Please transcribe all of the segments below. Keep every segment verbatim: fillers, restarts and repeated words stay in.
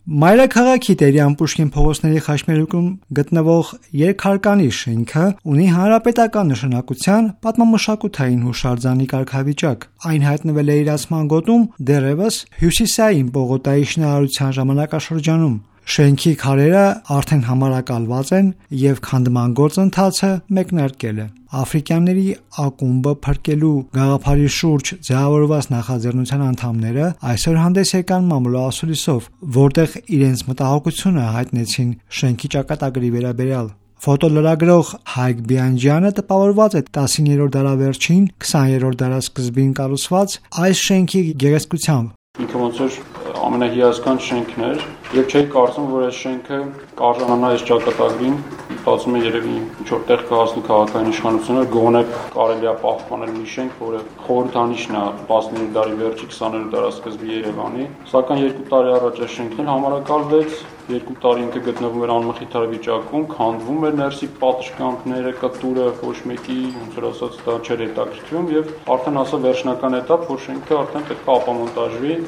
Մայրաքաղաքի Տերյան Պուշկին փողոցների խաչմերուկում գտնվող երկհարկանի շենքը ունի հանրապետական նշանակության պատմամշակութային հուշարձանի կարգավիճակ։ Այն հայտնվել է Իրացման գոտում դեռևս Հյուսիսային պողոտայի շինարարության ժամանակաշրջանում։ Շենքի քարերը արդեն համարակալված են և քանդման գործընթացը մեկնարկել է։ Աֆրիկյանների ակումբը փրկելու գաղափարի շուրջ ձևավորված նախաձեռնության անդամները այսօր հանդես եկան մամուլոասուլիսով, որտեղ իրենց մտահոգությունը հայտնեցին շենքի ճակատագրի վերաբերյալ։ Ֆոտոլրագրող Հայկ Բիանջյանը տպավորված է տասնիններորդ դարավերջին, քսաներորդ դարասկզբին կառուցված այս շենքի գեղեցկությամբ։ Ինքը ոնց որ ամենահիասքանչ շենքն էր, եւ չէի կարծում, որ այս շենքը կարժանանա այս ճակատագրին, մտածում եմ երևի ինչ-որ տեղ կհասնի քաղաքային իշխանությունը, գոնե կարելի է պահպանել մի շենք, որը խորհրդանիշն է տասնիններորդ դարի վերջի, քսաներորդ դարասկզբի Երևանի, սակայն երկու տարի առաջ այս շենքն համարակալվեց, երկու տարի ինքը գտնվում էր անմխիթար վիճակում, քանդվում էր ներսի պատշգամբները, կտուրը, ոչ մեկի, ոնց որ ասած, դա չէր հետաքրքրում եւ արդեն ասա վերջնական էտապ, որ շենքը արդեն պետք է ապամոնտաժվի։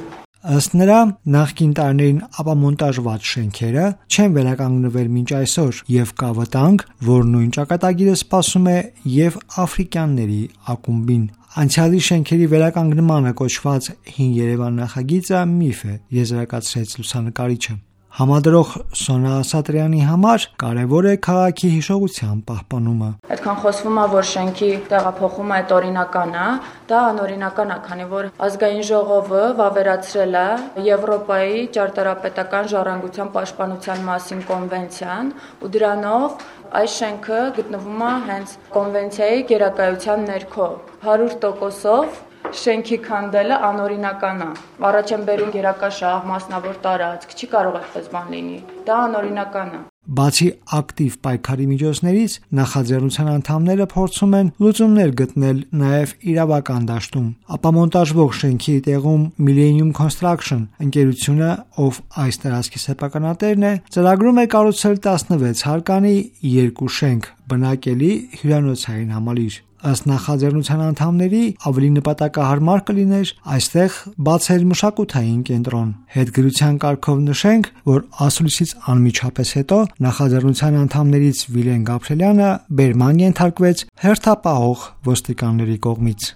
Ըստ նրա, նախկին տարիներին ապամոնտաժված շենքերը չեն վերականգնվել մինչ այսօր եւ կա վտանգ, որ նույն ճակատագիրը սպասում է եւ աֆրիկյանների ակումբին։ Անցյալի շենքերի վերականգնմանը կոչված Հին Երևան նախագիծը միֆ է, եզրակացրեց լուսանկարիչը։ Համադրող Սոնա Ասատրյանի համար կարևոր է քաղաքի հիշողության պահպանումը։ Այդքան խոսվում է, որ շենքի տեղափոխումը այդ օրինական է, դա անօրինական է, քանի որ ազգային ժողովը վավերացրել է Եվրոպայի ճարտարապետական ժառանգության պաշտպանության մասին կոնվենցիան, ու դրանով այս շենքը գտնվում է հենց կոնվենցիայի գերակայության ներքո։ հարյուր տոկոսով շենքի քանդելը անօրինական է։ Առաջ են բերում գերակա շահ, մասնավոր տարածք, չի կարող այդպես բան լինի։ Դա անօրինական է։ Բացի ակտիվ պայքարի միջոցներից, նախաձեռնության անդամները փորձում են լուծումներ գտնել նաև իրավական դաշտում։ Ապամոնտաժվող շենքի տեղում Millennium Construction ընկերությունը, ով այս տարածքի սեփականատերն է, ծրագրում է կառուցել տասնվեց հարկանի երկու շենք, բնակելի հյուրանոցային համալիր։ Ըստ նախաձեռնության անդամների, ավելի նպատակահարմար կլիներ այստեղ բացել մշակութային կենտրոն։ Հետգրության կարգով նշենք, որ ասուլիսից անմիջապես հետո նախաձեռնության անդամներից Վիլեն Գաբրելյանը բերման ենթարկվեց հերթապահող ոստիկանների կողմից։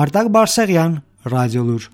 Արտակ Բարսեղյան, Ռադիոլուր։